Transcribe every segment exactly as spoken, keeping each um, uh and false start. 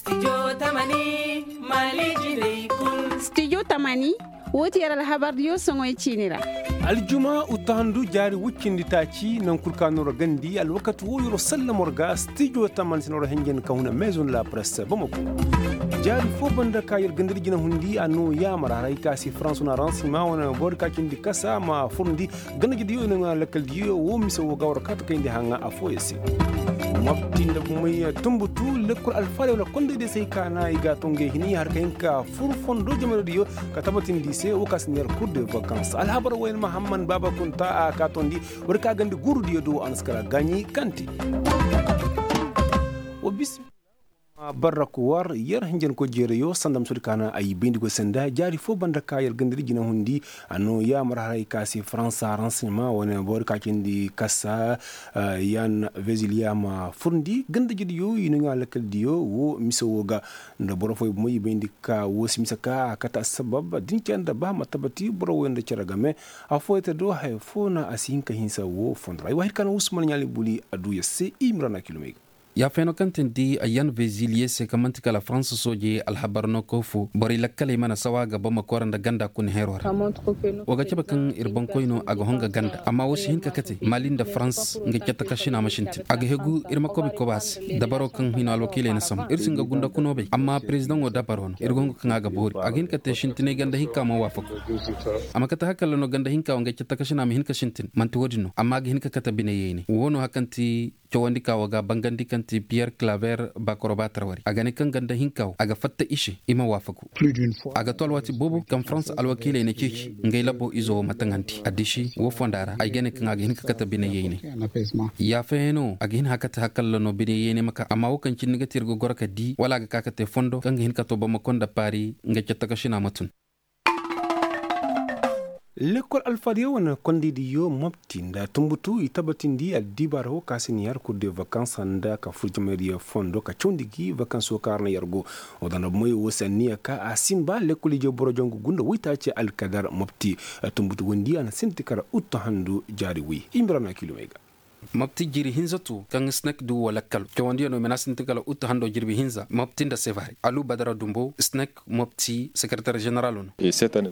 Studio tamani, woo ti yer alhabardiyo soŋoy ciini ra. Aljuma uttahandu jaari woy cindi taaci naŋ kul ka no ra gandi alwakati woo yer'o sallamo ra ga studio tamani si no ra henjen ka huna maison de la presse bamako. Jaari foo banda ka yer gandadi jina hundi a no yaamar haray ka se faransu na ransi ma wane boro ka cindi kasa ma furndi ganda jediyo no ŋwa lakkal diyo woo mise woo ga war ka ta kayndi haŋa affooyaŋ se. Mopti nda bumey tumbutu lekkol alfaali wala kondey day se ay ka na i ga a to ngey hini har ka hin ka fur fondo jamaradiyo ka tabatindi i se woo ka si neer kur de vakans alhabar wayne mahamman baaba kunta a ka tondi war ka gandi guurudiyo do a na si kala gaaɲi kaŋ te. Wa bismillah. Barrak war yer hinjanko jeerayo sanda ma soodi ka na ay bayndi goy sanda jaari foo banda ka yer gandadi jina hundi a no yaamar haray ka se faransa renseignement wane boro ka cindi kasa yan veziliya ma furndi ganda jediyo i no ɲaa lakkal diyo woo mise woo ga nda boro fooyaŋ bomo i bayndi ka woo si mise ka a kate assabab da ni cere nda ba ma tabati boro wooyaŋ nda cere game affooyaŋ te do haya foo na a si hin ka hinsa woo fondo ra ay waahid ka na usman ɲaali buli a duu yer se i ma ra na kilomey ga. Yaafeeno kaŋ tindi a yan veziliye se kaŋ man'ti kala faransa sooje alhabar no koy fo borey lakkaley mana sawa ga bamako ra nda ganda kuna heeroo ra. Wa ga cabe kaŋ ir boŋkoyno a ga honga ganda amma woo si hin ka kate mali nda farans nga catta kašina ma sintin a ga hegu ir ma kobi koba se dabaro kaŋ hino alwakiiley na sambu ir si nga gunda kuno bay amma perezidaŋo dabaro no ir go honga kaŋ a ga boori a ga hin ka te sintinay ganda hinka ma waafaku. A ma kate hakalla no ganda hinka wo nga catta kašina ma hin ka sintin man'ti woodin no amma a ga hin ka kate bineyeyne woo no hakaŋ ti cawandi ka wo ga bangandi kaŋ ti piyer klaver bakorobatar wari a ga ne kaŋ ganda hinka wo a ga fatta i se i ma waafaku. A ga to alwaati boobo kaŋ farans alwakiiley na ceeci ngey labo izo wo ma taŋandi a disi woo fonda ra ay ga ne kaŋ a ga hin ka kate bine yeene. Yaafayaŋ no a ga hin hakate hakalla no bine yeene ma ka amma woo kaŋ cindi ga te ir ga goro ka di wala a ga ka ka te fondo kaŋ ga hin ka to bamako nda paari nga catta kašina ma tun. Lekkol alfaadiyo wane kondaydiyo mopti nda tumbutu i tabatindi addibaara woo ka si ni har kur de vakans nda ka fur jamaydiyo fondo ka cawndi gi vakans woo ka har na yer go. Woo da nda bomoyo woo si anniya ka a sinba lekkol ije boro jongu gunda woytaaci alkadar mopti. Tumbutu wondi a na sinti kara uttu handu jaari woy i ma ra na kilomey ga. Mopti jiri hinza tu kaŋ snek du woo lakkal cawandiyo no i ma na sinti kala uttu hando jirbi hinza mopti nda sevare alu badara dumbo snek mopti sekereter ženeralo no.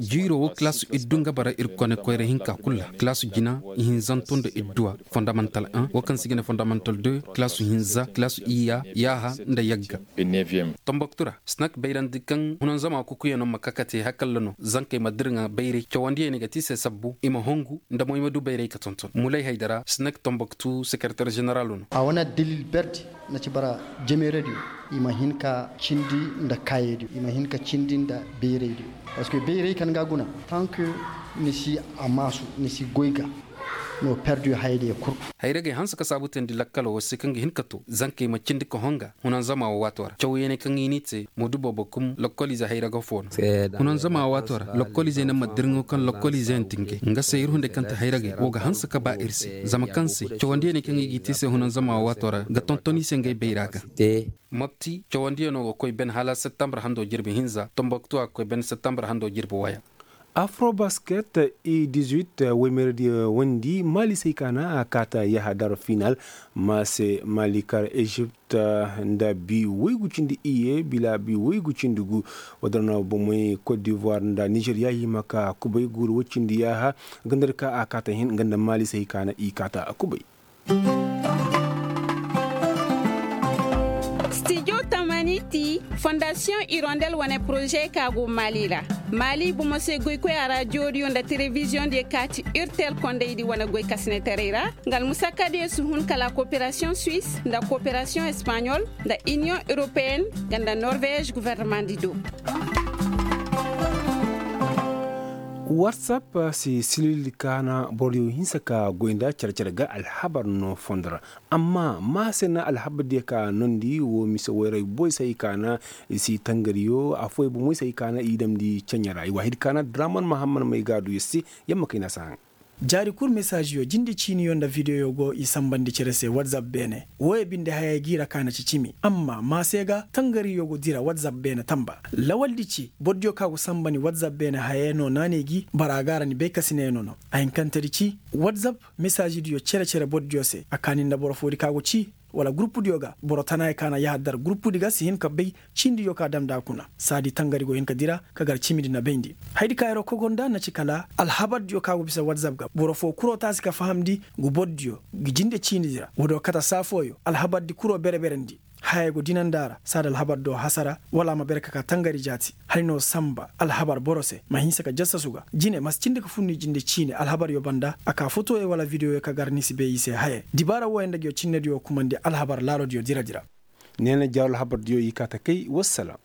Jiiro woo kilaasu iddu nga bara ir kone koyra hinka kul ra kilaasu jina ihinzanto nda idduwa fondamantal un woo kaŋ se i ga ne fondamantal deux kilaasu hinza kilaasu iyya yaaha nda yagga. Tomboktu ra snek bayrandi kaŋ hunanzama kukuyaŋo ma ka ka te hakalla no zankey ma dirŋa bayray cawandiyaŋ i ga te i se sabbu i ma hongu nda mo i ma du bayray ka tonton mulay haydara snek tomboktu sekereter ženeralo no. A wane addalil berdi na ci bara jameeradiyo i ma hin ka cindi nda kaayadiyo i ma hin ka cindi nda bayraydiyo. Parceque bayray kaŋ ga guna tank ni si a maasu ni si goy ga no perdiyo hayadiyo kul. Hayragey hanse ka saabu teendi lakkalo wo se kaŋ ga hin ka to zankey ma cindi ka honga hunanzama wo waato ra cawyaŋey kaŋ i n'i te moodu boobo kum lokkoliize hayraga fo no. Hunanzama wo waato ra lokkoliizey ne ma dirŋo kaŋ lokkoliizeyaŋ ti ngey nga se ir hunday kaŋ ti hayragey wo ga hanse ka ba ir se zama kaŋ se cawandiyaŋey kaŋ i g'i te i se hunanzama wo waato ra ga tonton i se ngey bayra ga. Mopti cawandiyaŋo ga koy ben hala septembre hando jirbi hinza tomboktu a ga koy ben septembre hando jirbi waya. Afrobasket i dizuit woymeradiyo wondi maali se i kaana a kaata yaha daro final maase maali kar ezipt nda bi woygu cindi iyye bila bi woygu cindi gu. Wadara no bomey kot divoir nda nizeriya i ma ka kubay guuru woy cindi yaha ganda ka a kaata hin nga nda maali se i kaana i kaata kubay. Studio tamani ti fondasiyoŋ irondel wane poroze ka go mali ra. Mali bomo se goykoy a raadiyo diyo nda telebiziyoŋ diyo ka ti urtel kondey di wane goy kasinetaray ra. Nga almusakka diyo si hun kala koperasiyoŋ suwis nda koperasiyoŋ espaɲol nda iniyoŋ europeyenne nga nda norvez guvernemandi do. Warsap si silil kaana boro diyo hinsa ka goy nda care care ga alhabar no fondo ra. Amma maa se na alhabar diyo ka nondi wo mise wayray boy se i kaana i si tangariyo afooyaŋ bomoy se i kaana i damndi ceɲe ra i waahid kaana draman mahamman may ga a du yer se. Yamma kayna si haŋ. Jaari kul mesaziyo jinde ciiniyo nda videyo go i sanbandi cere se watsap beene. Wooyo binde hayey g'i ra ka na ci cimi amma maa se ga tangariyo go dira watsap beene tamba. Lawaldi ci borodiyo kaŋ a go sanbandi watsap beene hayey no naanay gi bara a ga a ra ni bay kasinayano no. A hinkantedi ci watsap mesazidiyo cere cere borodiyo se a kaani nda boro foodi kaŋ a go ci. wala guruppudiyo ga boro tanaayey ka na yahadar guruppudi ga si hin ka bay ciinidiyo ka dam nda a kuna. Saadi tangari go hin ka dira ka gar cimidi na bayndi. Hayadi ka yer'o kogo nda na ci kala alhabardiyo ka go bisa watzap ga boro foo kur'o taasi ka fahamndi ngu bordiyo ngi jinde ciinidi ra woodiyo kate saa fooyo alhabardi kur'o bere-berendi. Hayey go dinandi a ra saadi alhabardiyo hasara wala a ma bere ka ka tangari jaati. Hala ni woo sanba alhabar boro se ma hinsa ka jassasu ga jine ma si cindi ka fur ni jinde ciini alhabaryo banda a ka fotoyo wala videoyo ka gar ni si bay i se hayey dibaara wooyo nda nguyo cinnediyo kumandi alhabar laalodiyo dira-dira. Neena jaaru alhabardiyo i kaa ta kay wassalam.